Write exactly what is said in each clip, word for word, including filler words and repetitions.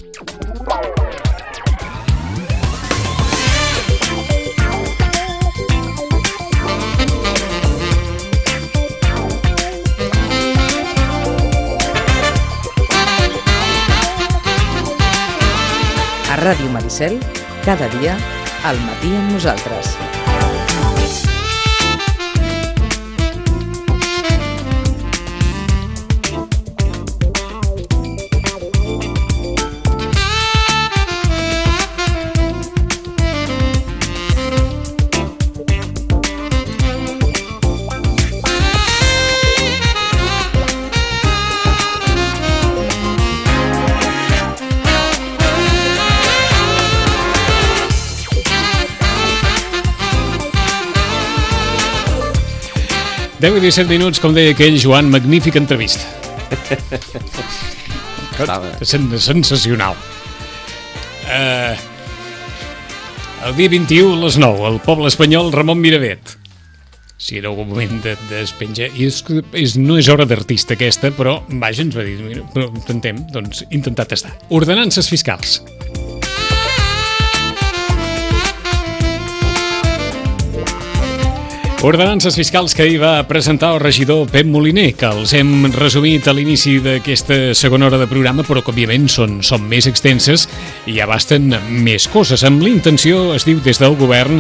A Ràdio Maricel, cada dia, al matí amb nosaltres. deu i disset minuts, com deia aquell Joan, magnífica entrevista. Sensacional. Uh, el dia vint-i-u a les nou, el poble espanyol Ramon Miravet. Si era algun moment de despenjar... I és, és, no és hora d'artista aquesta, però, vaja, ens va dir, mira, però intentem, doncs, intentar tastar. Ordenances fiscals. Ordenances fiscals que ahir va presentar el regidor Pep Moliner, que els hem resumit a l'inici d'aquesta segona hora de programa, però que òbviament són, són més extenses i abasten més coses. Amb l'intenció, es diu des del govern,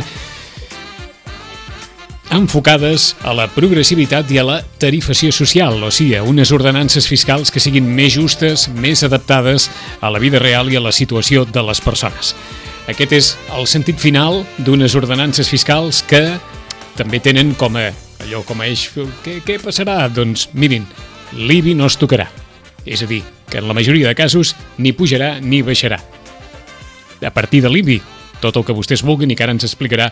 enfocades a la progressivitat i a la tarifació social, o sigui, a unes ordenances fiscals que siguin més justes, més adaptades a la vida real i a la situació de les persones. Aquest és el sentit final d'unes ordenances fiscals que també tenen com a, allò com a eix, què, què passarà? Doncs mirin, l'I B I no es tocarà. És a dir, que en la majoria de casos ni pujarà ni baixarà. A partir de l'I B I, tot el que vostès vulguin i que ara ens explicarà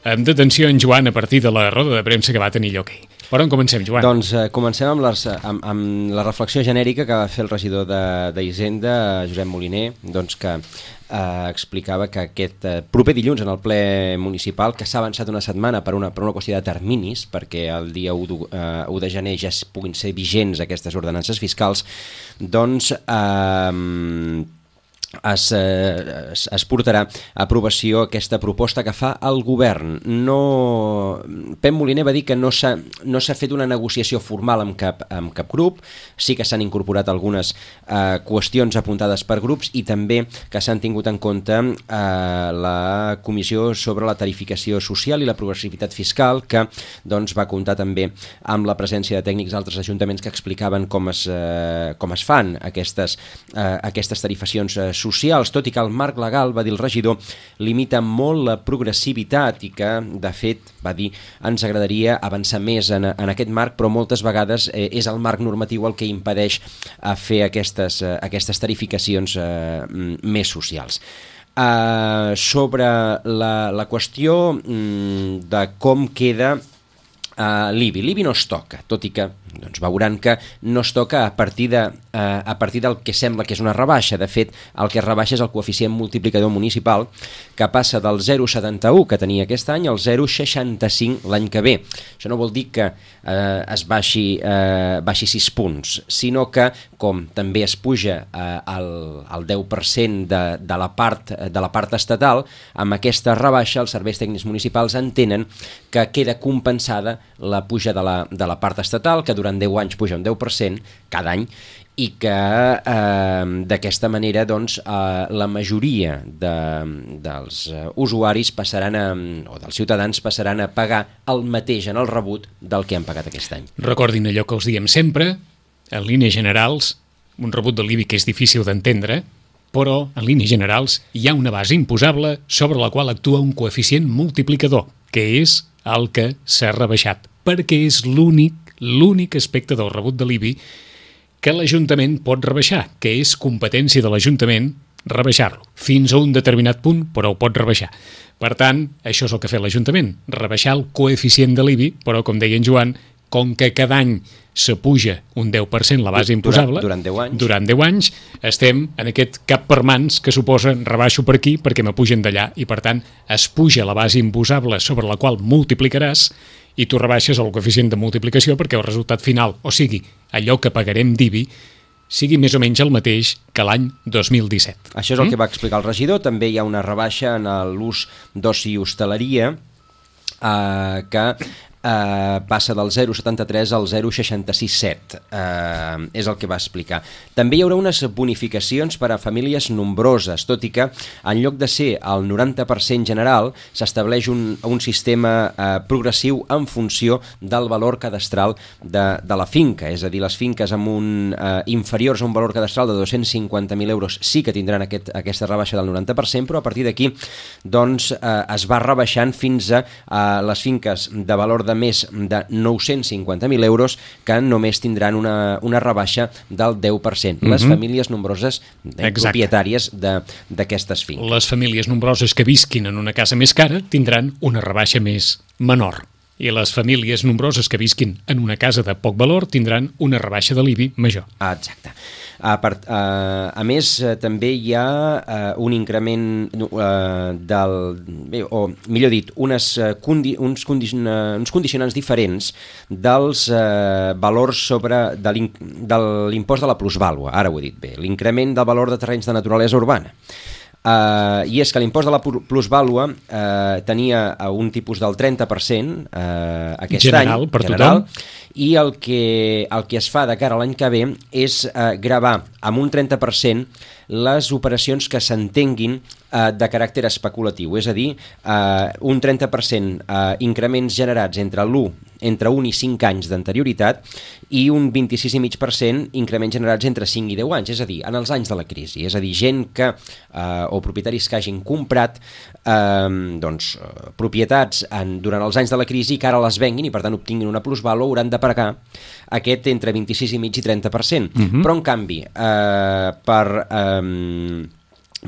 amb detenció en Joan a partir de la roda de premsa que va tenir lloc ahir. Per on comencem, Joan? Doncs eh, comencem amb, les, amb, amb la reflexió genèrica que va fer el regidor d'Hisenda, Josep Moliner, doncs que eh, explicava que aquest eh, proper dilluns en el ple municipal, que s'ha avançat una setmana per una, per una qüestió de terminis, perquè el dia u de, eh, u de gener ja puguin ser vigents aquestes ordenances fiscals, doncs Eh, Es, eh, es, es portarà a aprovació aquesta proposta que fa el govern. No... Pep Moliner va dir que no s'ha no s'ha fet una negociació formal amb cap, amb cap grup, sí que s'han incorporat algunes eh, qüestions apuntades per grups i també que s'han tingut en compte eh, la comissió sobre la tarificació social i la progressivitat fiscal, que doncs, va comptar també amb la presència de tècnics d'altres ajuntaments que explicaven com es, eh, com es fan aquestes, eh, aquestes tarifacions eh, socials, tot i que el marc legal, va dir el regidor, limita molt la progressivitat i que, de fet, va dir, ens agradaria avançar més en, en aquest marc, però moltes vegades eh, és el marc normatiu el que impedeix eh, fer aquestes, eh, aquestes tarificacions eh, més socials. Uh, sobre la, la qüestió mm, de com queda uh, l'I B I. L'I B I no es toca, tot i que doncs veuran que no es toca a partir, de, eh, a partir del que sembla que és una rebaixa. De fet, el que es rebaixa és el coeficient multiplicador municipal, que passa del zero coma setanta u que tenia aquest any al zero coma seixanta-cinc l'any que ve. Això no vol dir que eh, es baixi, eh, baixi sis punts, sinó que, com també es puja eh, al, al deu per cent de, de, la part, de la part estatal, amb aquesta rebaixa els serveis tècnics municipals entenen que queda compensada la puja de la, de la part estatal, que durant deu anys puja un deu per cent cada any, i que eh, d'aquesta manera doncs, eh, la majoria de, dels uh, usuaris passaran a, o dels ciutadans passaran a pagar el mateix en el rebut del que han pagat aquest any. Recordin allò que els diem sempre, en línies generals, un rebut de l'I B I que és difícil d'entendre, però en línies generals hi ha una base imposable sobre la qual actua un coeficient multiplicador, que és el que s'ha rebaixat, perquè és l'únic l'únic aspecte del rebut de l'I B I que l'Ajuntament pot rebaixar, que és competència de l'Ajuntament rebaixar-lo, fins a un determinat punt, però ho pot rebaixar. Per tant, això és el que ha fet l'Ajuntament, rebaixar el coeficient de l'I B I, però, com deia en Joan, com que cada any s'apuja un deu per cent la base imposable, durant, durant deu anys, durant deu anys estem en aquest cap per mans que suposa rebaixo per aquí perquè m'apugen d'allà i, per tant, es puja la base imposable sobre la qual multiplicaràs i tu rebaixes el coeficient de multiplicació perquè el resultat final, o sigui, allò que pagarem d'I B I, sigui més o menys el mateix que l'any dos mil disset. Això és el mm? que va explicar el regidor. També hi ha una rebaixa en l'ús d'oci i hostaleria, eh, que Uh, passa del zero coma setanta-tres al zero coma seixanta-sis set, uh, és el que va explicar. També hi haurà unes bonificacions per a famílies nombroses, tot i que en lloc de ser el noranta per cent general s'estableix un, un sistema uh, progressiu en funció del valor cadastral de, de la finca, és a dir, les finques amb un uh, inferiors a un valor cadastral de dos-cents cinquanta mil euros sí que tindran aquest, aquesta rebaixa del noranta per cent, però a partir d'aquí doncs, uh, es va rebaixant fins a uh, les finques de valor de de més de nou-cents cinquanta mil euros que només tindran una, una rebaixa del deu per cent. Mm-hmm. Les famílies nombroses de, propietàries d'aquestes finques. Les famílies nombroses que visquin en una casa més cara tindran una rebaixa més menor. I les famílies nombroses que visquin en una casa de poc valor tindran una rebaixa de l'I B I major. Exacte. A, part, uh, a més, uh, també hi ha uh, un increment uh, del... Bé, o millor dit, unes, uh, condi, uns, condicion, uh, uns condicionants diferents dels uh, valors sobre de l'impost de la plusvàlua. Ara ho he dit bé. L'increment del valor de terrenys de naturalesa urbana. Uh, I és que l'impost de la plusvàlua uh, tenia un tipus del trenta per cent uh, aquest general, any, per general, tothom. I el que, el que es fa de cara a l'any que ve és uh, gravar amb un trenta per cent les operacions que s'entenguin uh, de caràcter especulatiu, és a dir, uh, un trenta per cent uh, increments generats entre l'u entre un i cinc anys d'anterioritat i un vint-i-sis coma cinc per cent increments generats entre cinc i deu anys, és a dir, en els anys de la crisi. És a dir, gent que, eh, o propietaris que hagin comprat eh, doncs, eh, propietats en, durant els anys de la crisi i que ara les venguin i per tant obtinguin una plusvàlua, hauran de pagar aquest entre vint-i-sis coma cinc i trenta per cent. Uh-huh. Però en canvi, eh, per... Eh,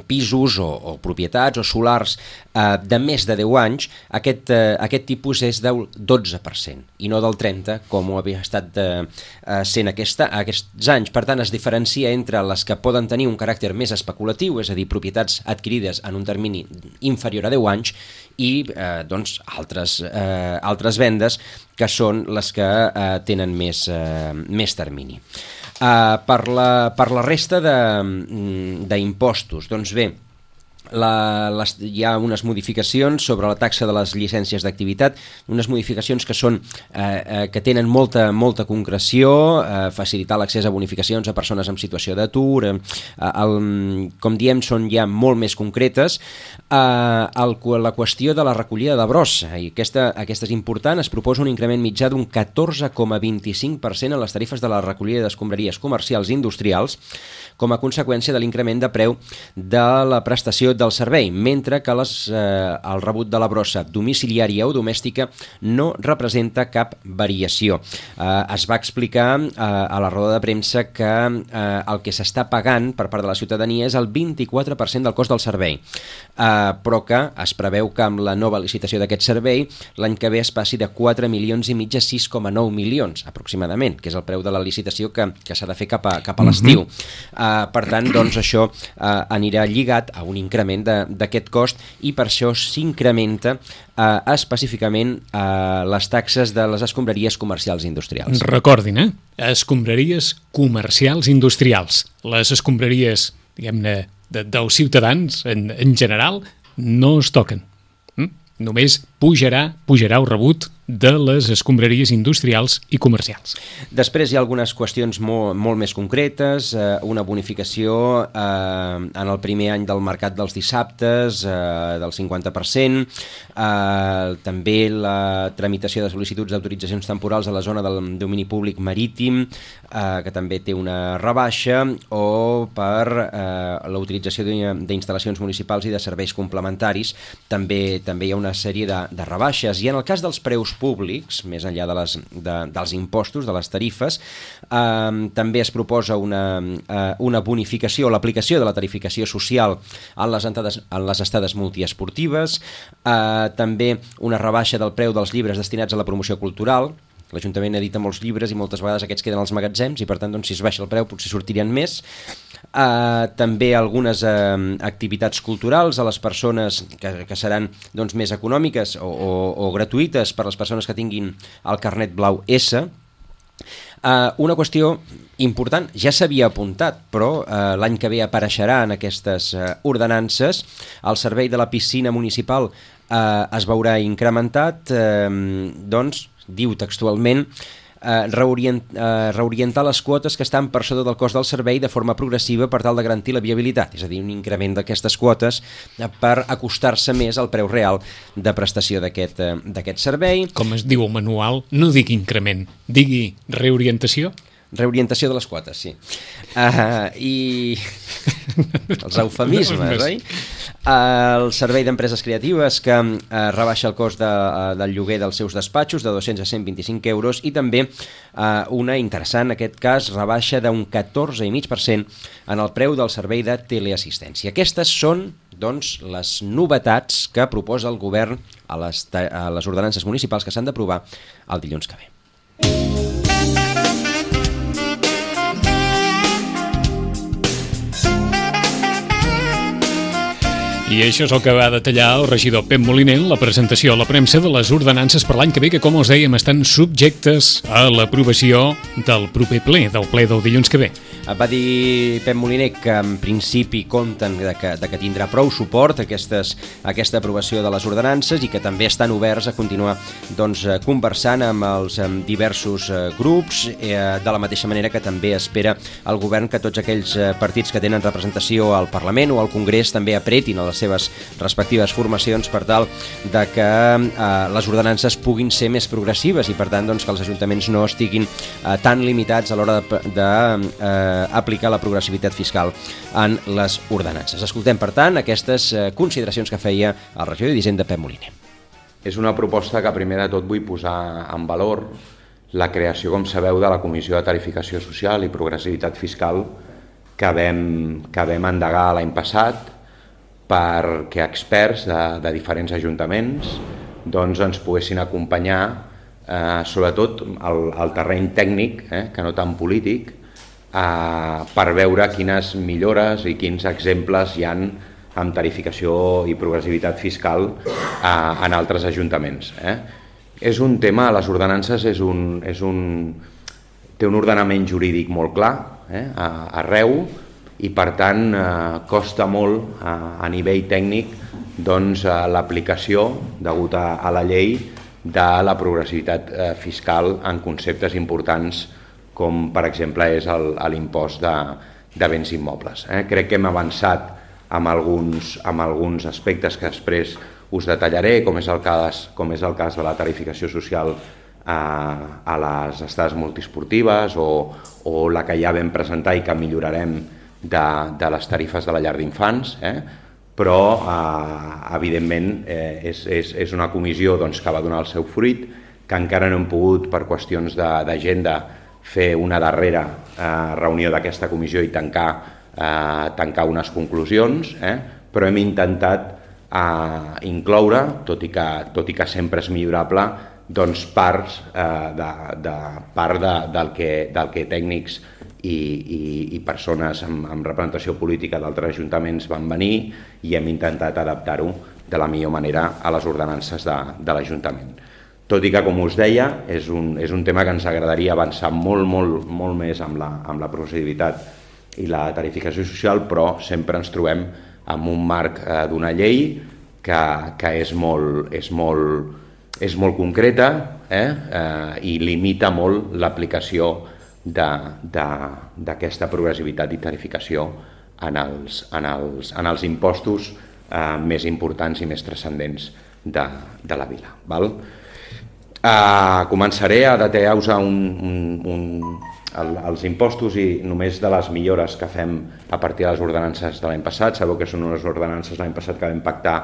pisos o, o propietats o solars eh, de més de deu anys, aquest, eh, aquest tipus és del dotze per cent i no del trenta per cent com ho havia estat eh, sent aquesta, aquests anys. Per tant, es diferencia entre les que poden tenir un caràcter més especulatiu, és a dir, propietats adquirides en un termini inferior a deu anys i eh, doncs, altres, eh, altres vendes que són les que eh, tenen més, eh, més termini. Uh, per, la, per la resta d'impostos, doncs bé, la, les, hi ha unes modificacions sobre la taxa de les llicències d'activitat, unes modificacions que són eh, eh, que tenen molta, molta concreció, eh, facilitar l'accés a bonificacions a persones en situació d'atur, eh, el, com diem, són ja molt més concretes. Eh, el, la qüestió de la recollida de brossa, i aquesta, aquesta és important, es proposa un increment mitjà d'un catorze coma vint-i-cinc per cent en les tarifes de la recollida d'escombraries comercials i industrials com a conseqüència de l'increment de preu de la prestació del servei, mentre que les, eh, el rebut de la brossa domiciliària o domèstica no representa cap variació. Eh, es va explicar eh, a la roda de premsa que eh, el que s'està pagant per part de la ciutadania és el vint-i-quatre per cent del cost del servei, eh, però que es preveu que amb la nova licitació d'aquest servei l'any que ve es passi de quatre milions i mig a sis coma nou milions aproximadament, que és el preu de la licitació que, que s'ha de fer cap a, cap a l'estiu. Mm-hmm. eh, per tant, doncs, això eh, anirà lligat a un increment d'aquest cost i per això s'incrementa eh, específicament eh, les taxes de les escombraries comercials i industrials. Recordin, eh? Escombraries comercials i industrials. Les escombraries, diguem-ne, de, dels ciutadans en, en general no es toquen. Mm? Només pujarà, pujarà el rebut de les escombraries industrials i comercials. Després hi ha algunes qüestions molt, molt més concretes, eh, una bonificació eh, en el primer any del mercat dels dissabtes eh, del cinquanta per cent, eh, també la tramitació de sol·licituds d'autoritzacions temporals a la zona del domini públic marítim, eh, que també té una rebaixa, o per eh, la utilització d'instal·lacions municipals i de serveis complementaris, també, també hi ha una sèrie de, de rebaixes. I en el cas dels preus públics, més enllà de les, de, dels impostos, de les tarifes, eh, també es proposa una, eh, una bonificació, l'aplicació de la tarificació social en les, entades, en les estades multiesportives, eh, també una rebaixa del preu dels llibres destinats a la promoció cultural. L'Ajuntament edita molts llibres i moltes vegades aquests queden als magatzems i per tant, doncs, si es baixa el preu potser sortirien més. Uh, també algunes uh, activitats culturals a les persones que, que seran doncs, més econòmiques o, o, o gratuïtes per a les persones que tinguin el carnet blau S, Uh, una qüestió important, ja s'havia apuntat, però uh, l'any que ve apareixerà en aquestes uh, ordenances, el servei de la piscina municipal uh, es veurà incrementat, uh, doncs, diu textualment, uh, reorient, uh, reorientar les quotes que estan per sota del cost del servei de forma progressiva per tal de garantir la viabilitat, és a dir, un increment d'aquestes quotes uh, per acostar-se més al preu real de prestació d'aquest uh, d'aquest servei. Com es diu el manual, no digui increment, digui reorientació. Reorientació de les quotes, sí. Uh, I els eufemismes, oi? Uh, el servei d'empreses creatives que uh, rebaixa el cost de, uh, del lloguer dels seus despatxos de dos-cents a cent vint-i-cinc euros i també uh, una interessant, en aquest cas, rebaixa d'un catorze coma cinc per cent en el preu del servei de teleassistència. Aquestes són, doncs, les novetats que proposa el govern a les, a les ordenances municipals que s'han d'aprovar el dilluns que ve. I això és el que va detallar el regidor Pep Moliner en la presentació a la premsa de les ordenances per l'any que ve, que, com els dèiem, estan subjectes a l'aprovació del proper ple, del ple del dilluns que ve. Va dir Pep Moliner que en principi compten de que, de que tindrà prou suport aquestes, aquesta aprovació de les ordenances i que també estan oberts a continuar doncs, conversant amb els amb diversos grups, eh, de la mateixa manera que també espera el govern que tots aquells partits que tenen representació al Parlament o al Congrés també apretin a les seves respectives formacions per tal de que eh, les ordenances puguin ser més progressives i per tant doncs, que els ajuntaments no estiguin eh, tan limitats a l'hora de, de eh, aplicar la progressivitat fiscal en les ordenances. Escoltem, per tant, aquestes eh, consideracions que feia el regidor d'Hisenda, Pep Moliner. És una proposta que primer de tot vull posar en valor la creació, com sabeu, de la Comissió de Tarificació Social i Progressivitat Fiscal que vam, que vam endegar l'any passat perquè experts de, de diferents ajuntaments doncs, ens poguessin acompanyar eh, sobretot al, al terreny tècnic, eh, que no tan polític, eh, per veure quines millores i quins exemples hi han amb tarificació i progressivitat fiscal eh, en altres ajuntaments. Eh. És un tema, les ordenances és un, és un, té un ordenament jurídic molt clar, eh, arreu, i per tant eh, costa molt eh, a nivell tècnic doncs, eh, l'aplicació degut a, a la llei de la progressivitat eh, fiscal en conceptes importants com per exemple és l'impost de, de béns immobles. Eh? Crec que hem avançat amb alguns, amb alguns aspectes que després us detallaré, com és el cas, com és el cas de la tarificació social eh, a les estades multiesportives o, o la que ja vam presentar i que millorarem De, de les tarifes de la llar d'infants, eh? però eh, evidentment eh, és, és, és una comissió doncs, que va donar el seu fruit, que encara no hem pogut per qüestions d'agenda fer una darrera eh, reunió d'aquesta comissió i tancar, eh, tancar unes conclusions, eh? però hem intentat eh, incloure, tot i, que, tot i que sempre és millorable, doncs parts, eh, de, de, part de, del, que, del que tècnics I, i, i persones amb, amb representació política d'altres ajuntaments van venir i hem intentat adaptar-ho de la millor manera a les ordenances de, de l'Ajuntament. Tot i que, com us deia, és un, és un tema que ens agradaria avançar molt, molt, molt més amb la, amb la progressivitat i la tarificació social, però sempre ens trobem amb un marc eh, d'una llei que, que és, molt, és, molt, és molt concreta eh, eh, i limita molt l'aplicació d'aquesta progressivitat i tarificació en els, en els, en els impostos eh, més importants i més transcendents de, de la vila. Val? Eh, començaré a detallar-vos un, un, un, el, els impostos i només de les millores que fem a partir de les ordenances de l'any passat. Sabeu que són unes ordenances l'any passat que vam pactar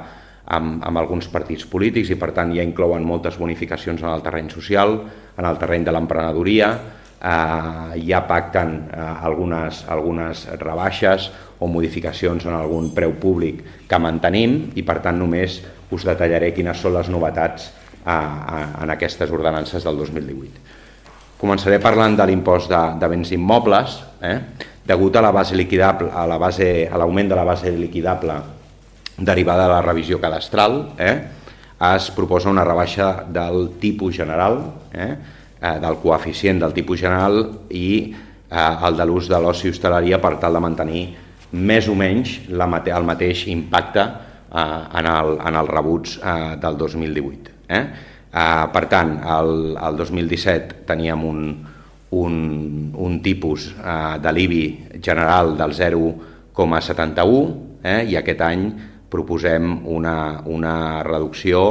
amb, amb alguns partits polítics i per tant ja inclouen moltes bonificacions en el terreny social, en el terreny de l'emprenedoria. Uh, ja pacten uh, algunes, algunes rebaixes o modificacions en algun preu públic que mantenim i per tant només us detallaré quines són les novetats uh, uh, en aquestes ordenances del dos mil divuit. Començaré parlant de l'impost de, de béns immobles, eh? Degut a la base liquidable, a la base, a l'augment de la base liquidable derivada de la revisió cadastral, eh? Es proposa una rebaixa del tipus general, eh? eh, del coeficient del tipus general i eh, el de l'ús de l'oci i hostaleria per tal de mantenir més o menys la mate el mateix impacte eh, en, el, en els rebuts eh, del dos mil divuit. Eh? Eh, per tant, el, el dos mil disset teníem un, un, un tipus eh, de l'I B I general del zero coma setanta-u eh? i aquest any proposem una, una reducció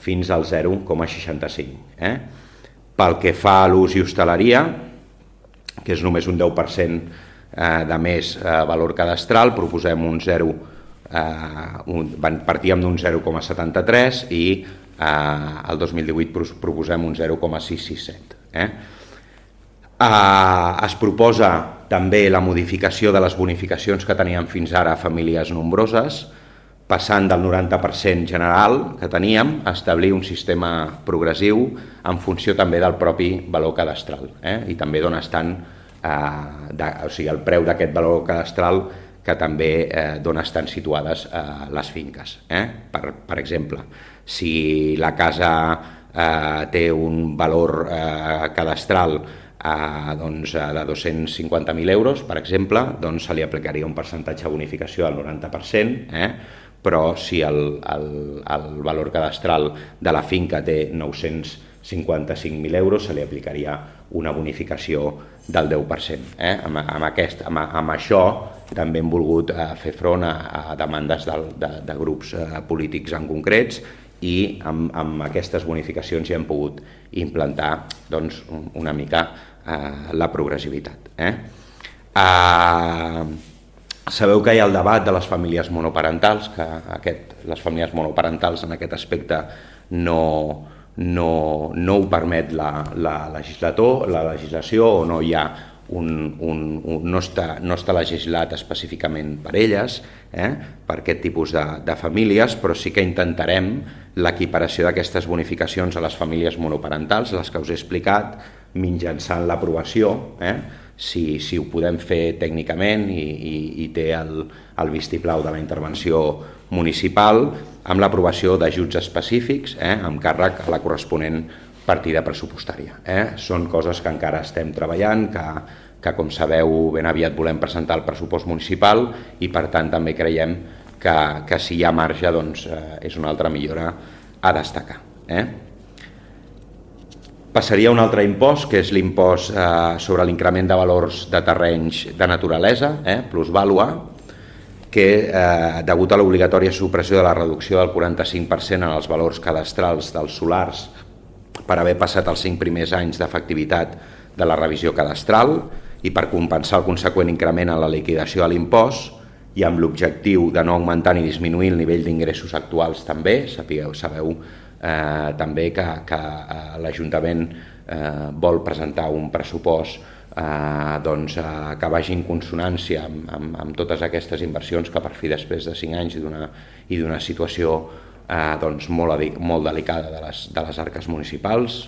fins al zero coma seixanta-cinc. Eh? Pel que fa a l'ús i hostaleria, que és només un deu per cent eh, de més eh, valor cadastral, proposem un zero, eh, un, partíem d'un zero coma setanta-tres i eh, el dos mil divuit proposem un zero coma sis sis set. Eh? Eh, es proposa també la modificació de les bonificacions que teníem fins ara a famílies nombroses, passant del noranta per cent general que teníem a establir un sistema progressiu en funció també del propi valor cadastral eh? I també d'on estan, eh, de, o sigui, el preu d'aquest valor cadastral que també eh, d'on estan situades eh, les finques. Eh? Per, per exemple, si la casa eh, té un valor eh, cadastral eh, doncs, de dos-cents cinquanta mil euros, per exemple, doncs se li aplicaria un percentatge de bonificació del noranta per cent, eh? Però si el, el, el valor cadastral de la finca té nou-cents cinquanta-cinc mil euros, se li aplicaria una bonificació del deu per cent. Eh? Amb, amb, aquest, amb, amb això també hem volgut eh, fer front a, a demandes de, de, de grups eh, polítics en concrets i amb, amb aquestes bonificacions ja hem pogut implantar doncs, una mica eh, la progressivitat. Eh? Eh, Sabeu que hi ha el debat de les famílies monoparentals, que aquest, les famílies monoparentals en aquest aspecte no, no, no ho permet la, la, legislator, la legislació o no hi ha un, un, un, no, està, no està legislat específicament per elles, eh, per aquest tipus de, de famílies, però sí que intentarem l'equiparació d'aquestes bonificacions a les famílies monoparentals, les que us he explicat, mitjançant l'aprovació, eh, Si, si ho podem fer tècnicament i, i, i té el, el vistiplau de la intervenció municipal amb l'aprovació d'ajuts específics eh, amb càrrec a la corresponent partida pressupostària. Eh. Són coses que encara estem treballant, que, que com sabeu ben aviat volem presentar el pressupost municipal i per tant també creiem que, que si hi ha marge doncs, eh, és una altra millora a destacar. Eh. Passaria a un altre impost, que és l'impost eh, sobre l'increment de valors de terrenys de naturalesa, eh, plusvàlua, que, eh, degut a l'obligatòria supressió de la reducció del quaranta-cinc per cent en els valors cadastrals dels solars per haver passat els cinc primers anys d'efectivitat de la revisió cadastral i per compensar el conseqüent increment en la liquidació de l'impost i amb l'objectiu de no augmentar ni disminuir el nivell d'ingressos actuals també, sapigueu, sabeu, Eh, també que, que eh, l'Ajuntament eh, vol presentar un pressupost eh, doncs, eh, que vagi en consonància amb, amb, amb totes aquestes inversions que per fi després de cinc anys i d'una situació eh, doncs, molt, molt delicada de les, de les arques municipals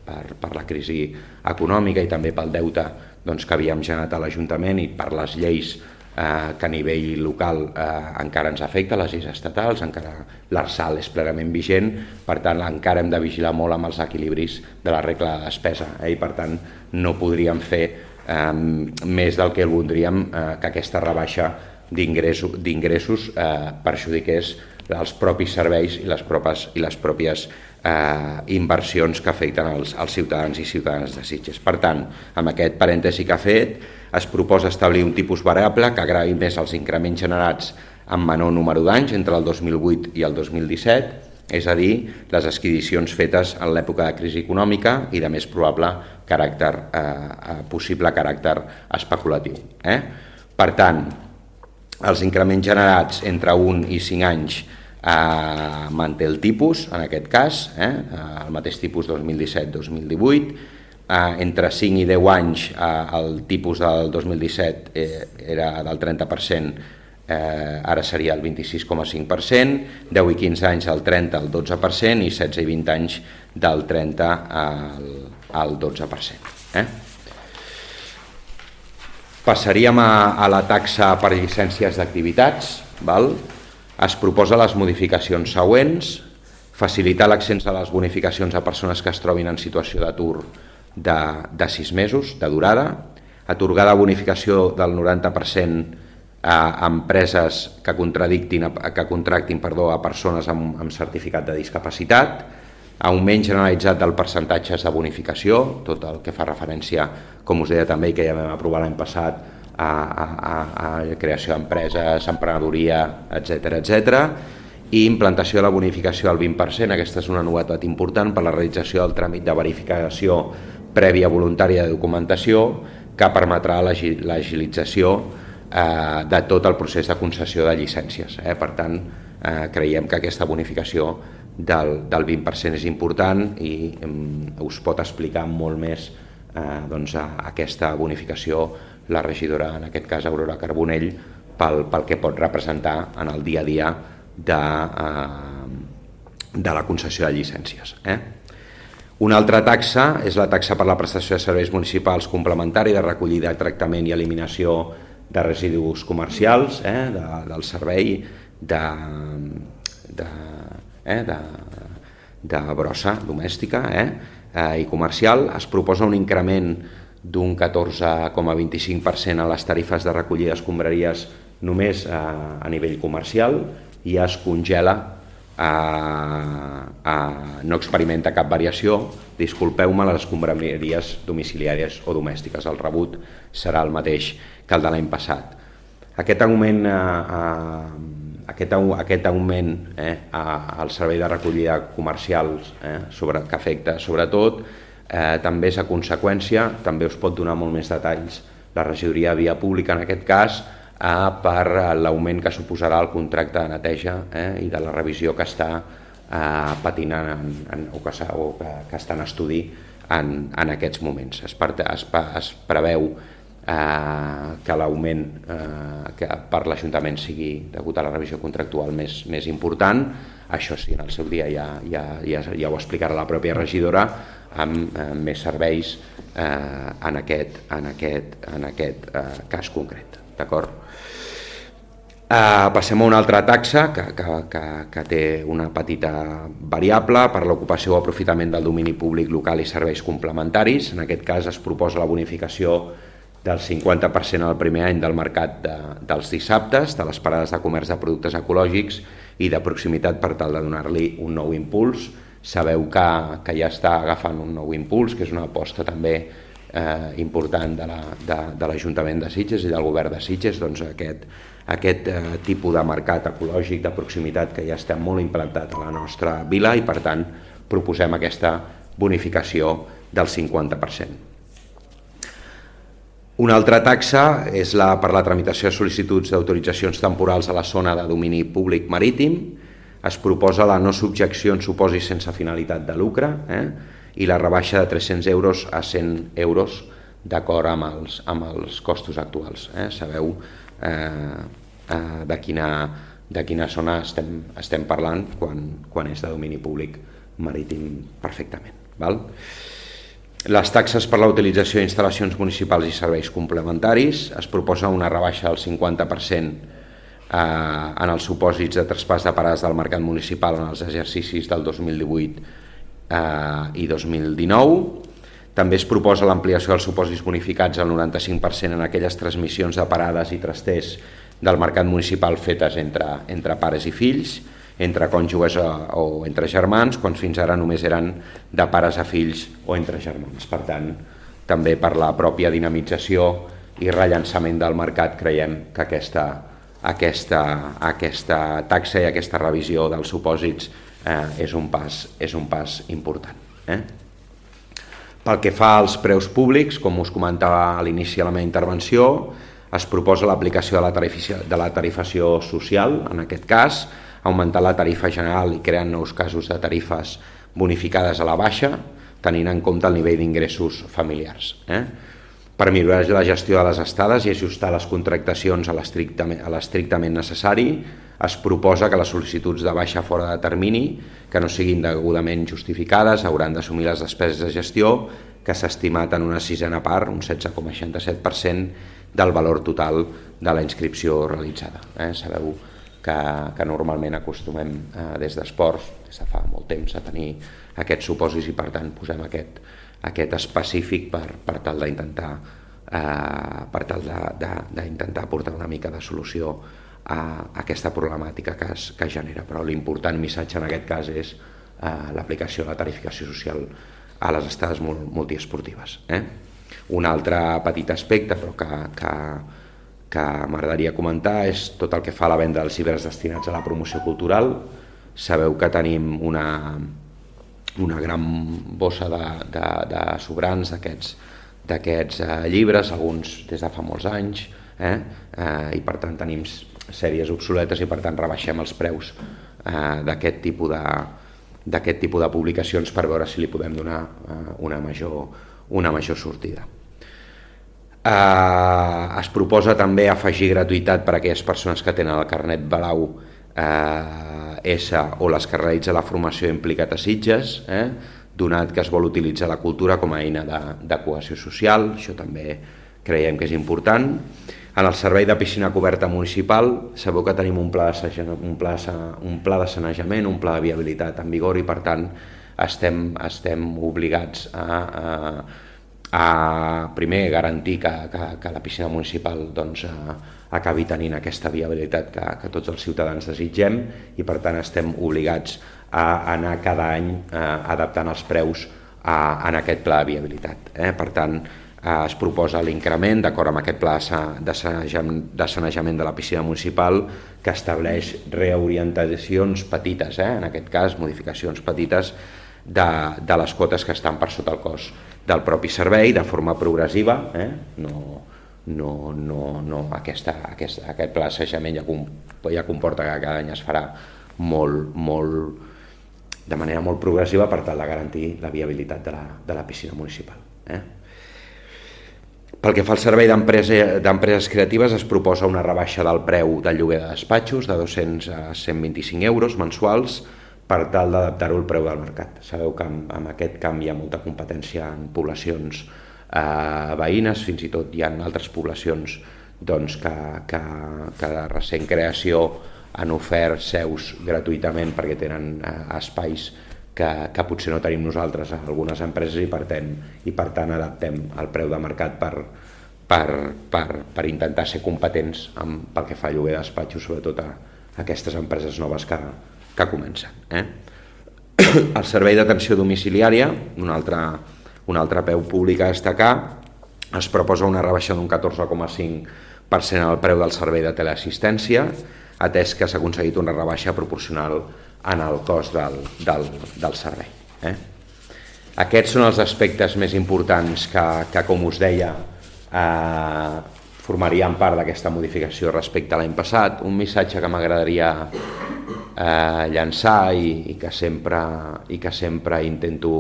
per, per la crisi econòmica i també pel deute doncs, que havíem generat a l'Ajuntament i per les lleis Eh, que a nivell local eh, encara ens afecta, les lleis estatals, encara l'Arsal és plenament vigent, per tant encara hem de vigilar molt amb els equilibris de la regla de despesa eh, i per tant no podríem fer eh, més del que voldríem eh, que aquesta rebaixa d'ingressos d'ingressos eh, perjudiqués els propis serveis i les, propes, i les pròpies eh, inversions que afecten els, els ciutadans i ciutadanes de Sitges. Per tant, amb aquest parèntesi que ha fet, es proposa establir un tipus variable que agravi més els increments generats amb menor número d'anys entre el dos mil vuit i el dos mil disset, és a dir, les adquisicions fetes en l'època de crisi econòmica i de més probable caràcter, eh, possible caràcter especulatiu. Eh? Per tant, els increments generats entre un i cinc anys eh, manté el tipus, en aquest cas, eh, el mateix tipus dos mil disset dos mil divuit, eh, entre cinc i deu anys eh, el tipus del dos mil disset eh, era del trenta per cent, eh, ara seria el vint-i-sis coma cinc per cent, deu i quinze anys del trenta al dotze per cent i setze i vint anys del trenta al, al dotze per cent. Eh? Passaríem a, a la taxa per llicències d'activitats. Val? Es proposa les modificacions següents: facilitar l'accés a les bonificacions a persones que es trobin en situació d'atur de, de sis mesos de durada, atorgada bonificació del noranta per cent a empreses que contractin, que contractin perdó, a persones amb, amb certificat de discapacitat, augment generalitzat del percentatges de bonificació, tot el que fa referència, com us deia també, que ja vam aprovar l'any passat, a, a, a, a creació d'empreses, emprenedoria, etcètera, etcètera, i implantació de la bonificació al vint per cent. Aquesta és una novetat important per la realització del tràmit de verificació prèvia voluntària de documentació que permetrà l'agilització eh, de tot el procés de concessió de llicències. Eh? Per tant, eh, creiem que aquesta bonificació del, del vint per cent és important i eh, us pot explicar molt més eh, doncs, a, aquesta bonificació la regidora, en aquest cas Aurora Carbonell, pel, pel que pot representar en el dia a dia de, eh, de la concessió de llicències. Eh? Una altra taxa és la taxa per la prestació de serveis municipals complementari de recollida, tractament i eliminació de residus comercials, eh, de, del servei de, de, eh, de, de brossa domèstica eh, eh, i comercial. Es proposa un increment d'un catorze coma vint-i-cinc per cent a les tarifes de recollida d'escombraries només a, a nivell comercial i es congela. A, a, no experimenta cap variació, disculpeu-me, les escombraries domiciliàries o domèstiques. El rebut serà el mateix que el de l'any passat. Aquest augment, a, a, aquest, aquest augment eh, al servei de recollida comercials eh, sobre, que afecta sobretot, eh, també és a conseqüència, també us pot donar molt més detalls la regidoria de Via Pública en aquest cas, Eh, per l'augment que suposarà el contracte de neteja eh, i de la revisió que està eh, patinant en, en, o, que, o que, que està en estudi en, en aquests moments. Es, per, es, es preveu eh, que l'augment eh, que per l'Ajuntament sigui degut a la revisió contractual més, més important. Això sí, en el seu dia ja, ja, ja, ja ho explicarà la pròpia regidora amb eh, més serveis eh, en aquest, en aquest, en aquest eh, cas concret. D'acord? Uh, passem a una altra taxa que, que, que, que té una petita variable per l'ocupació o aprofitament del domini públic local i serveis complementaris. En aquest cas es proposa la bonificació del cinquanta per cent al primer any del mercat de, dels dissabtes, de les parades de comerç de productes ecològics i de proximitat per tal de donar-li un nou impuls. Sabeu que, que ja està agafant un nou impuls, que és una aposta també eh, important de, la, de, de l'Ajuntament de Sitges i del Govern de Sitges, doncs aquest aquest eh, tipus de mercat ecològic de proximitat que ja està molt implantat a la nostra vila i per tant proposem aquesta bonificació del cinquanta per cent. Una altra taxa és la per la tramitació de sol·licituds d'autoritzacions temporals a la zona de domini públic marítim. Es proposa la no subjecció en supòsits sense finalitat de lucre eh, i la rebaixa de tres-cents euros a cent euros d'acord amb els, amb els costos actuals. Eh. Sabeu Eh, eh, de, quina, de quina zona estem, estem parlant quan, quan és de domini públic marítim perfectament. Val? Les taxes per la utilització d'instal·lacions municipals i serveis complementaris, es proposa una rebaixa del cinquanta per cent eh, en els supòsits de traspàs de parades del mercat municipal en els exercicis del dos mil divuit eh, i dos mil dinou. També es proposa l'ampliació dels supòsits bonificats al noranta-cinc per cent en aquelles transmissions de parades i trasters del mercat municipal fetes entre, entre pares i fills, entre cònjuges o, o entre germans, quan fins ara només eren de pares a fills o entre germans. Per tant, també per la pròpia dinamització i rellançament del mercat creiem que aquesta, aquesta, aquesta taxa i aquesta revisió dels supòsits eh, és, un pas, és un pas important. Eh? Pel que fa als preus públics, com us comentava a l'inici de la meva intervenció, es proposa l'aplicació de la tarifació, de la tarifació social, en aquest cas, augmentar la tarifa general i creant nous casos de tarifes bonificades a la baixa, tenint en compte el nivell d'ingressos familiars. Eh? Per millorar la gestió de les estades i ajustar les contractacions a l'estrictament, a l'estrictament necessari, es proposa que les sol·licituds de baixa fora de termini, que no siguin degudament justificades, hauran d'assumir les despeses de gestió, que s'ha estimat en una sisena part, un setze coma seixanta-set per cent del valor total de la inscripció realitzada. Eh? Sabeu que, que normalment acostumem eh, des d'esports, des de fa molt temps, a tenir aquests supòsits i per tant posem aquest, aquest específic per, per tal d'intentar eh, per tal d'intentar portar una mica de solució a aquesta problemàtica que es, que es genera. Però l'important missatge en aquest cas és eh, l'aplicació de la tarificació social a les estades multiesportives. Eh? Un altre petit aspecte però que, que, que m'agradaria comentar és tot el que fa a la venda dels llibres destinats a la promoció cultural. Sabeu que tenim una, una gran bossa de, de, de sobrants d'aquests d'aquests eh, llibres, alguns des de fa molts anys, eh? Eh, i per tant tenim sèries obsoletes i per tant rebaixem els preus eh, d'aquest tipus de d'aquest tipus de publicacions per veure si li podem donar eh, una, major, una major sortida. Eh, es proposa també afegir gratuïtat per a aquelles persones que tenen el carnet blau eh, S o les que realitza la formació implicat a Sitges, eh, donat que es vol utilitzar la cultura com a eina de, de cohesió social. Això també creiem que és important. En el servei de piscina coberta municipal sabeu que tenim un pla de, un pla, un pla de sanejament, un pla de viabilitat en vigor i per tant estem, estem obligats a, a, a primer garantir que, que, que la piscina municipal doncs, a, acabi tenint aquesta viabilitat que, que tots els ciutadans desitgem i per tant estem obligats a anar cada any eh, adaptant els preus a, en aquest pla de viabilitat. Eh? Per tant, eh, es proposa l'increment d'acord amb aquest pla de sanejament, de sanejament de la piscina municipal que estableix reorientacions petites, eh? en aquest cas modificacions petites de, de les quotes que estan per sota el cost del propi servei de forma progressiva, eh? no, no, no, no aquesta, aquest, aquest pla de sanejament ja, ja comporta que cada any es farà molt, molt de manera molt progressiva per tal de garantir la viabilitat de la, de la piscina municipal. Eh? Pel que fa al servei d'empreses creatives es proposa una rebaixa del preu del lloguer de despatxos de dos-cents a cent vint-i-cinc euros mensuals per tal d'adaptar-ho al preu del mercat. Sabeu que amb, amb aquest canvi hi ha molta competència en poblacions eh, veïnes, fins i tot hi ha altres poblacions doncs, que, que, que de recent creació han ofert seus gratuïtament perquè tenen eh, espais que, que potser no tenim nosaltres a algunes empreses i per tant, i per tant adaptem el preu de mercat per, per, per, per intentar ser competents amb, pel que fa a lloguer de despatxos, sobretot a, a aquestes empreses noves que, que comencen. Eh? El servei d'atenció domiciliària, un altre, un altre peu públic a destacar, es proposa una rebaixa d'un catorze coma cinc per cent al preu del servei de teleassistència, atès que s'ha aconseguit una rebaixa proporcional en el cost del, del, del servei. Eh? Aquests són els aspectes més importants que, que com us deia, eh, formarien part d'aquesta modificació respecte a l'any passat. Un missatge que m'agradaria eh, llançar i, i, que sempre, i que sempre intento,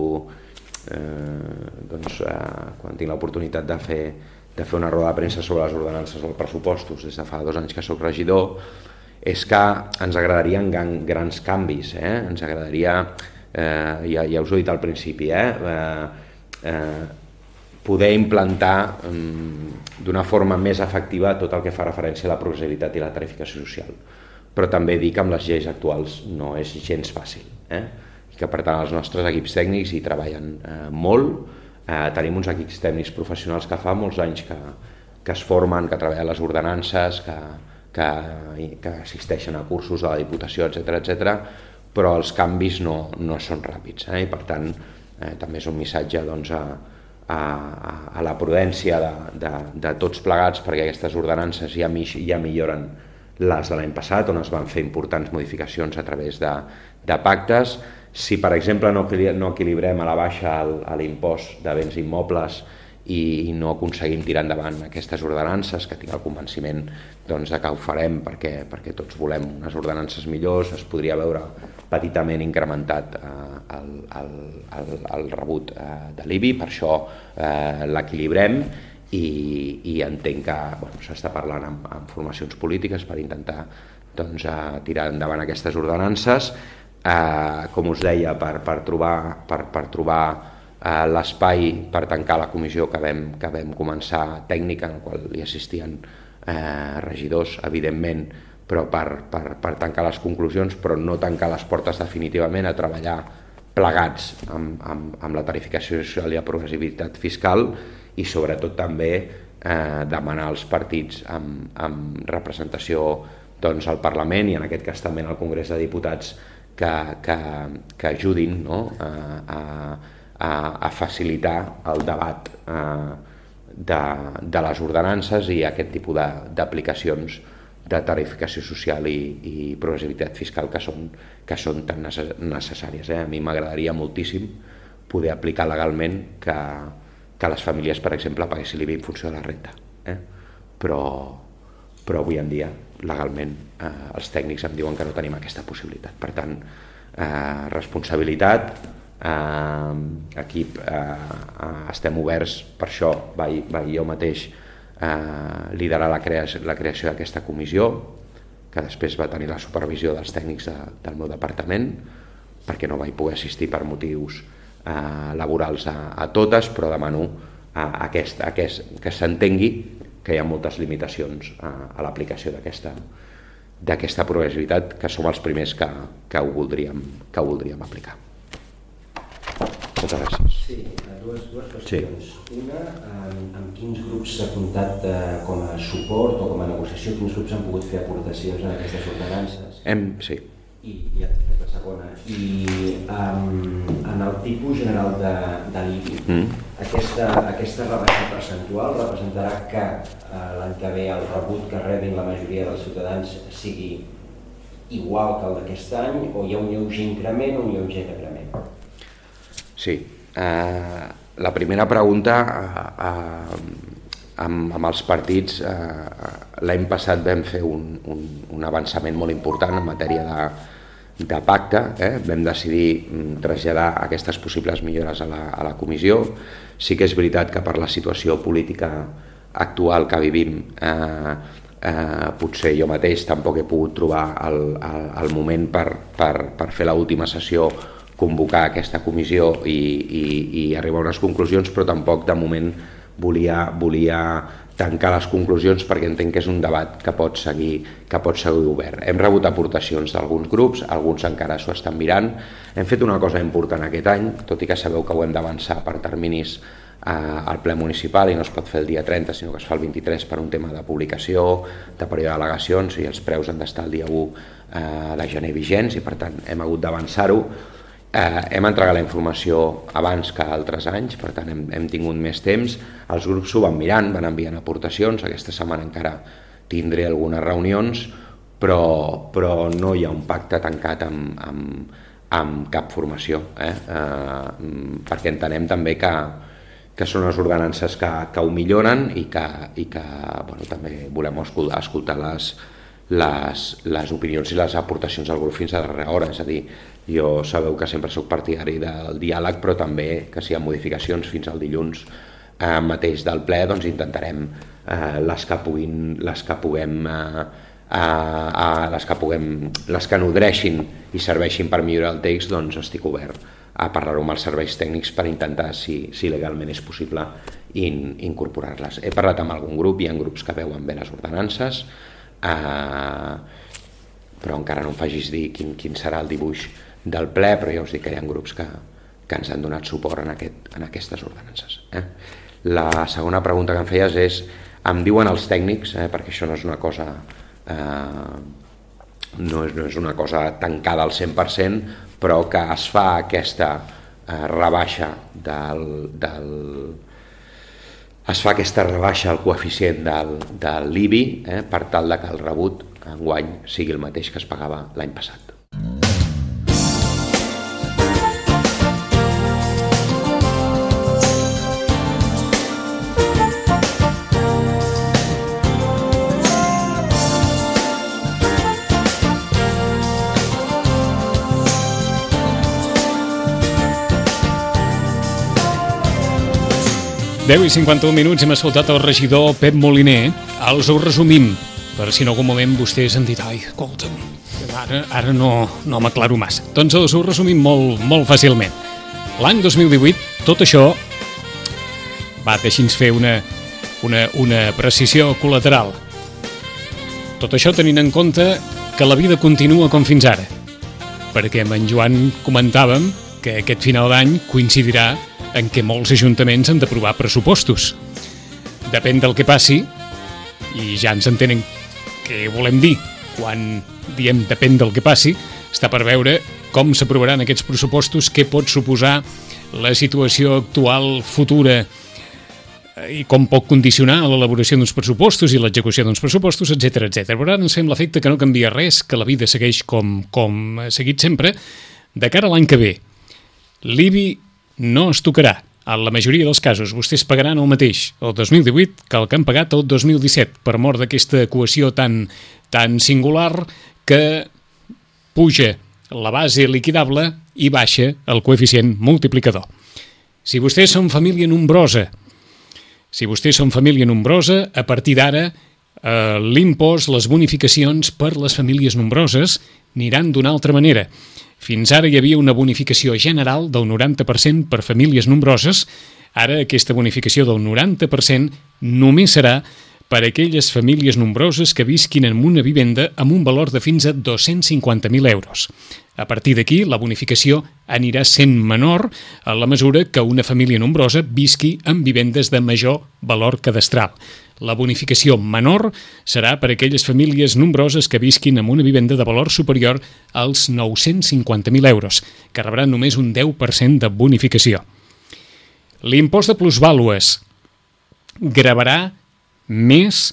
eh, doncs, eh, quan tinc l'oportunitat de fer, de fer una roda de premsa sobre les ordenances dels pressupostos des de fa dos anys que soc regidor, és que ens agradarien grans canvis, eh? ens agradaria, eh, ja, ja us ho he dit al principi, eh? Eh, eh, poder implantar um, d'una forma més efectiva tot el que fa referència a la progressivitat i la tarificació social. Però també dir que amb les lleis actuals no és gens fàcil, eh? i que per tant els nostres equips tècnics hi treballen eh, molt, eh, tenim uns equips tècnics professionals que fa molts anys que, que es formen, que treballen les ordenances, que Que, que assisteixen a cursos de la Diputació, etcètera, etcètera, però els canvis no, no són ràpids. Eh? I per tant, eh, també és un missatge doncs, a, a, a la prudència de, de, de tots plegats, perquè aquestes ordenances ja, ja milloren les de l'any passat, on es van fer importants modificacions a través de, de pactes. Si, per exemple, no, no equilibrem a la baixa l'impost de béns immobles i no aconseguim tirar endavant aquestes ordenances, que tinc el convenciment doncs, de que ho farem perquè, perquè tots volem unes ordenances millors, es podria veure petitament incrementat eh, el, el, el, el rebut eh, de l'I B I, per això eh, l'equilibrem i, i entenc que bueno, s'està parlant amb, amb formacions polítiques per intentar doncs, eh, tirar endavant aquestes ordenances, eh, com us deia, per, per trobar, per, per trobar l'espai per tancar la comissió que vam, que vam començar tècnica, en la qual hi assistien eh, regidors, evidentment, però per, per, per tancar les conclusions, però no tancar les portes definitivament, a treballar plegats amb, amb, amb la tarificació social i la progressivitat fiscal, i sobretot també eh, demanar als partits amb, amb representació doncs, al Parlament i en aquest cas també al Congrés de Diputats que, que, que ajudin, no? a, a, a facilitar el debat eh, de, de les ordenances i aquest tipus d'aplicacions de tarificació social i, i progressivitat fiscal que són, que són tan necessàries. Eh? A mi m'agradaria moltíssim poder aplicar legalment que, que les famílies, per exemple, paguessin l'I V A en funció de la renta. Eh? Però, però avui en dia, legalment, eh, els tècnics em diuen que no tenim aquesta possibilitat. Per tant, eh, responsabilitat, eh, equip, eh, estem oberts, per això vaig, vaig jo mateix Eh, liderar la creació, la creació d'aquesta comissió, que després va tenir la supervisió dels tècnics de, del meu departament, perquè no vaig poder assistir per motius eh, laborals a, a totes, però demano a, a aquest, a aquest, que s'entengui que hi ha moltes limitacions a, a l'aplicació d'aquesta d'aquesta progressivitat, que som els primers que, que, ho, voldríem, que ho voldríem aplicar. Moltes gràcies. Sí, dues, dues qüestions. Sí. Una, amb, amb quins grups s'ha comptat eh, com a suport o com a negociació, quins grups han pogut fer aportacions en aquestes ordenances? Hem, sí. I, i la segona. I um, en el tipus general de, de l'I B I, mm. aquesta, aquesta rebaixa percentual representarà que eh, l'any que ve el rebut que rebin la majoria dels ciutadans sigui igual que el d'aquest any, o hi ha un lleuger increment o un lleuger decrement? Sí, eh, la primera pregunta eh, eh, amb, amb els partits, eh, l'any passat vam fer un, un, un avançament molt important en matèria de, de pacte, eh? Vam decidir traslladar aquestes possibles millores a la, a la comissió. Sí que és veritat que per la situació política actual que vivim eh, eh, potser jo mateix tampoc he pogut trobar el, el, el moment per, per, per fer l'última sessió, convocar aquesta comissió i, i, i arribar a unes conclusions, però tampoc de moment volia, volia tancar les conclusions perquè entenc que és un debat que pot seguir, que pot seguir obert. Hem rebut aportacions d'alguns grups, alguns encara s'ho estan mirant. Hem fet una cosa important aquest any, tot i que sabeu que ho hem d'avançar per terminis eh, al ple municipal i no es pot fer el dia trenta, sinó que es fa el vint-i-tres per un tema de publicació, de període d'al·legacions, i els preus han d'estar el dia u eh, de gener vigents, i per tant hem hagut d'avançar-ho. Eh, hem entregat la informació abans que altres anys, per tant hem, hem tingut més temps. Els grups s'ho van mirant, van enviant aportacions. Aquesta setmana encara tindré algunes reunions, però, però no hi ha un pacte tancat amb, amb, amb cap formació, eh? Eh, perquè entenem també que, que són les ordenances que, que ho milloren i que, i que bueno, també volem escoltar, escoltar les, les, les opinions i les aportacions del grup fins a darrera hora. És a dir, jo sabeu que sempre soc partidari del diàleg, però també que si hi ha modificacions fins al dilluns eh, mateix del ple, doncs intentarem eh, les que puguin, les que puguem eh, eh, les que puguem, les que nodreixin i serveixin per millorar el text, doncs estic obert a parlar-ho amb els serveis tècnics per intentar, si, si legalment és possible, in, incorporar-les. He parlat amb algun grup, hi ha grups que veuen bé les ordenances, eh, però encara no em facis dir quin, quin serà el dibuix del ple, però ja us dic que hi ha grups que, que ens han donat suport en, aquest, en aquestes ordenances. Eh? La segona pregunta que em feies és, em diuen els tècnics, eh, perquè això no és una cosa eh, no, és, no és una cosa tancada al cent per cent, però que es fa aquesta eh, rebaixa del, del es fa aquesta rebaixa al coeficient del, de l'I B I eh, per tal de que el rebut enguany sigui el mateix que es pagava l'any passat. deu i cinquanta-un minuts, hem escoltat el regidor Pep Moliner. Els ho resumim, per si en algun moment vostès han dit ai, escolta'm, ara, ara no, no m'aclaro massa. Doncs els ho resumim molt, molt fàcilment. L'any dos mil divuit, tot això, va, deixi'ns fer una, una, una precisió col·lateral. Tot això tenint en compte que la vida continua com fins ara, perquè amb en Joan comentàvem que aquest final d'any coincidirà en què molts ajuntaments han d'aprovar pressupostos. Depèn del que passi, i ja ens entenen què volem dir quan diem depèn del que passi, està per veure com s'aprovaran aquests pressupostos, què pot suposar la situació actual futura i com pot condicionar l'elaboració d'uns pressupostos i l'execució d'uns pressupostos, etcètera, etcètera. Però ara ens fem l'efecte que no canvia res, que la vida segueix com, com ha seguit sempre. De cara a l'any que ve, l'I B I no es tocarà. En la majoria dels casos, vostès pagaran el mateix el dos mil divuit que el que han pagat el dos mil disset, per mort d'aquesta equació tan, tan singular que puja la base liquidable i baixa el coeficient multiplicador. Si vostès són família nombrosa, si vostès són família nombrosa, a partir d'ara eh, l'impost, les bonificacions per les famílies nombroses aniran d'una altra manera. Fins ara hi havia una bonificació general del noranta per cent per famílies nombroses. Ara aquesta bonificació del noranta per cent només serà per a aquelles famílies nombroses que visquin en una vivenda amb un valor de fins a dos-cents cinquanta mil euros. A partir d'aquí, la bonificació anirà sent menor a la mesura que una família nombrosa visqui en vivendes de major valor cadastral. La bonificació menor serà per a aquelles famílies nombroses que visquin en una vivenda de valor superior als nou-cents cinquanta mil euros, que rebran només un deu per cent de bonificació. L'impost de plusvàlues gravarà més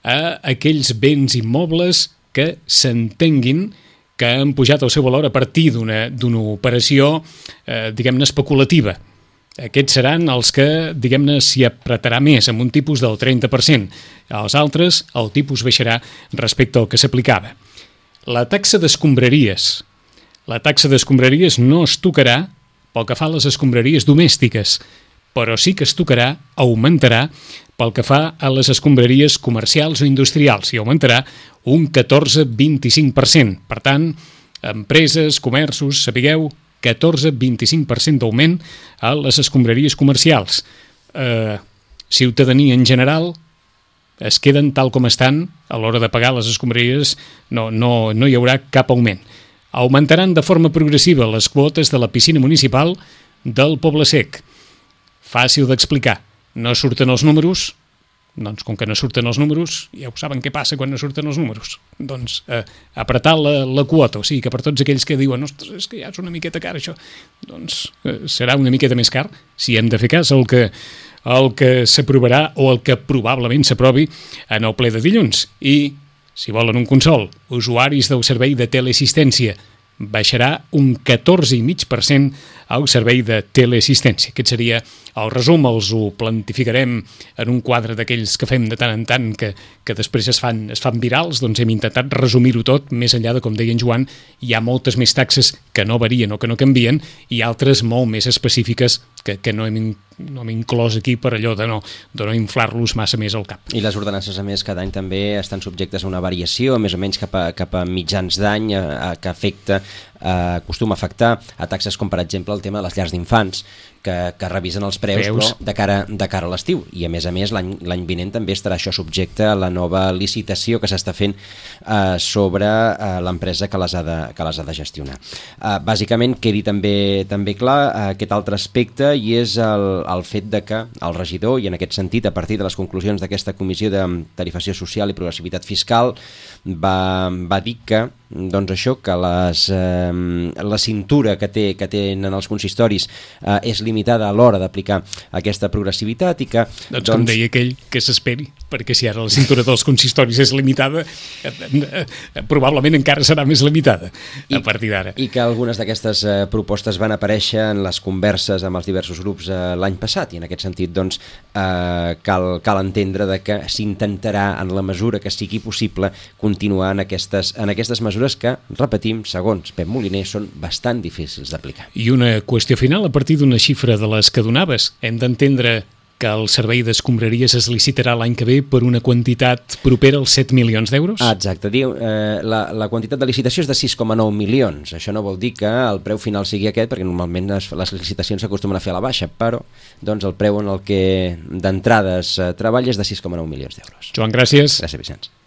a aquells béns immobles que s'entenguin que han pujat el seu valor a partir d'una d'una operació, eh, diguem-ne, especulativa. Aquests seran els que, diguem-ne, s'hi apretarà més, amb un tipus del trenta per cent. Els altres, el tipus baixarà respecte al que s'aplicava. La taxa d'escombraries. La taxa d'escombraries no es tocarà pel que fa a les escombraries domèstiques, però sí que es tocarà, augmentarà, pel que fa a les escombraries comercials o industrials, i augmentarà un catorze coma vint-i-cinc per cent. Per tant, empreses, comerços, sapigueu, catorze coma vint-i-cinc per cent d'augment a les escombraries comercials. Eh, ciutadania en general es queden tal com estan, a l'hora de pagar les escombraries no, no, no hi haurà cap augment. Augmentaran de forma progressiva les quotes de la piscina municipal del Poble Sec. Fàcil d'explicar. No surten els números, doncs com que no surten els números, ja ho saben què passa quan no surten els números. Doncs eh, apretar la, la quota, o sigui que per tots aquells que diuen ostres, és que ja és una miqueta car això, doncs eh, serà una miqueta més car, si hem de fer cas el que, el que s'aprovarà o el que probablement s'aprovi en el ple de dilluns. I, si volen un consol, usuaris del servei de teleassistència, baixarà un catorze coma cinc per cent al servei de teleassistència. Aquest seria el resum, els ho plantificarem en un quadre d'aquells que fem de tant en tant que, que després es fan, es fan virals, doncs hem intentat resumir-ho tot, més enllà de, com deia en Joan, hi ha moltes més taxes que no varien o que no canvien i altres molt més específiques que, que no, hem, no hem inclòs aquí per allò de no, de no inflar-los massa més al cap. I les ordenances, a més, cada any també estan subjectes a una variació, més o menys cap a, cap a mitjans d'any, que afecta, eh, acostuma a afectar a taxes com, per exemple, el tema de les llars d'infants, que, que revisen els preus, preus. Però de cara, de cara a l'estiu. I, a més a més, l'any l'any vinent també estarà això subjecte a la nova licitació que s'està fent eh, sobre eh, l'empresa que les ha de, que les ha de gestionar. Eh, bàsicament, quedi també, també clar eh, aquest altre aspecte, i és el, el fet de que el regidor, i en aquest sentit, a partir de les conclusions d'aquesta comissió de tarifació social i progressivitat fiscal, va, va dir que, doncs això, que les, eh, la cintura que, té, que tenen els consistoris eh, és limitada a l'hora d'aplicar aquesta progressivitat i que... Doncs, doncs com deia aquell, que s'esperi, perquè si ara la cintura dels consistoris és limitada, eh, eh, eh, probablement encara serà més limitada a partir d'ara. I que algunes d'aquestes eh, propostes van aparèixer en les converses amb els diversos grups eh, l'any passat, i en aquest sentit doncs, eh, cal, cal entendre de que s'intentarà, en la mesura que sigui possible, continuar en aquestes, en aquestes mesures que, repetim, segons Pep Moliner, són bastant difícils d'aplicar. I una qüestió final, a partir d'una xifra de les que donaves, hem d'entendre que el servei d'escombraries es licitarà l'any que ve per una quantitat propera als set milions d'euros? Ah, exacte. Diu, eh, la, la quantitat de licitació és de sis coma nou milions. Això no vol dir que el preu final sigui aquest, perquè normalment les, les licitacions s'acostumen a fer a la baixa, però doncs, el preu en el que d'entrades eh, treballa és de sis coma nou milions d'euros. Joan, gràcies. Gràcies, Vicenç.